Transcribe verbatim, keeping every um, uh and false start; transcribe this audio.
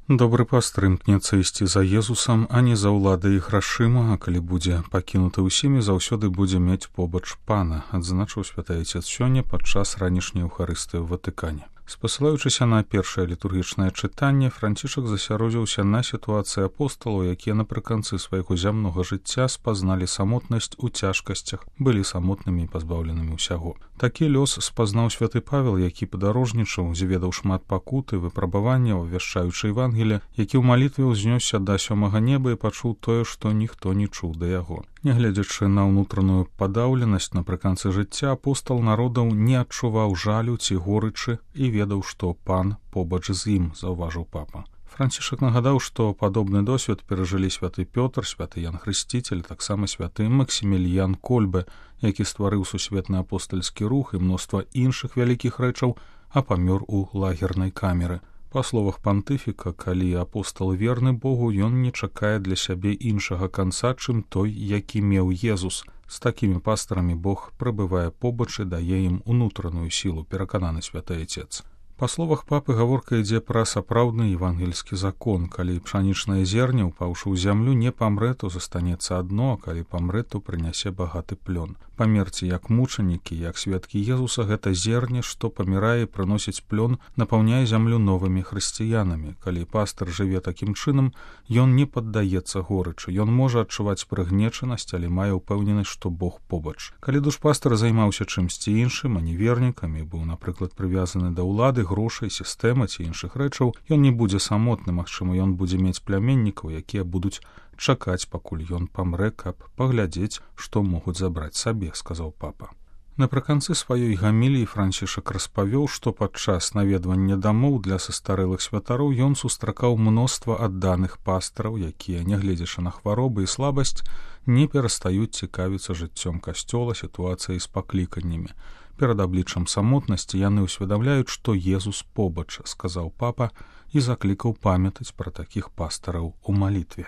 Добры пастыр імкнецца ісці за Езусам, а не за ўладай і грашыма, а калі будзе пакінуты ўсімі, заўсёды будзе мець побач пана, адзначыў святы Айцец сёння падчас ранішняй Еўхарыстыі ў Ватыкане. Спасылаючыся на першае літургічнае чытанне, Францішак засяродзіўся на сітуацыі апосталаў, якія напрыканцы свайго зямнога жыцця спазналі самотнасць у цяжкасцях, былі самотнымі і пазбаўленымі ўсяго. Такі лёс спазнаў святы Павел, які падарожнічаў, зведаў шмат пакуты, выпрабаванняў, вяшчаючы Евангелія, які ў малітве ўзнёсся да сёмага неба і пачуў тое, што ніхто не чуў да яго. Нягледзячы на ўнутраную падаўленасць напрыканцы жыцця, апостал народаў не адчуваў жалю ці горычы і ведаў, што пан побач з ім, заўважыў папа. Францішак нагадаў, што падобны досвед перажылі святы Пётр, святы Ян Хрысціцель, таксама святы Максіміліян Кольбе, які стварыў сусветны апостальскі рух і мноства іншых вялікіх рэчаў, а памёр у лагернай камеры. Па словах пантыфіка, калі апостал верны Богу, ён не чакае для сябе іншага канца, чым той, які меў Езус. З такімі пастарамі Бог прабывае побач і дае ім унутраную сілу, перакананы святы Айцец. Па словах папы, гаворка ідзе пра сапраўдны евангельскі закон. Калі пшанічнае зерне, упаўшы ў зямлю, не памрэ, то застанецца адно, а калі памрэ, то прынясе багаты плён. Памерці як мучанікі, як сведкі Езуса, гэта зерне, што памірае і прыносіць плён, напаўняе зямлю новымі хрысціянамі. Калі пастыр жыве такім чынам, ён не паддаецца горычы. Ён можа адчуваць прыгнечанасць, але мае ўпэўненасць, што Бог побач. Калі душпастыр займаўся чымсьці іншым, а не вернікамі, быў, напрыклад, прывязаны да ўлады, грошай, сістэмы ці іншых рэчаў, ён не будзе самотны, магчыма, ён будзе мець пляменнікаў, якія будуць чакаць, пакуль ён памрэ, каб паглядзець, што могуць забраць сабе, сказаў папа. Напрыканцы сваёй гаміліі Францішак распавёў, што падчас наведвання дамоў для састарэлых святароў ён сустракаў мноства адданых пастыраў, якія, нягледзячы на хваробы і слабасць, не перастаюць цікавіцца жыццём касцёла, сітуацыяй з пакліканнямі. Перад абліччам самотнасці яны ўсведамляюць, што Езус побач, сказаў папа і заклікаў памятаць пра такіх пастыраў у малітве.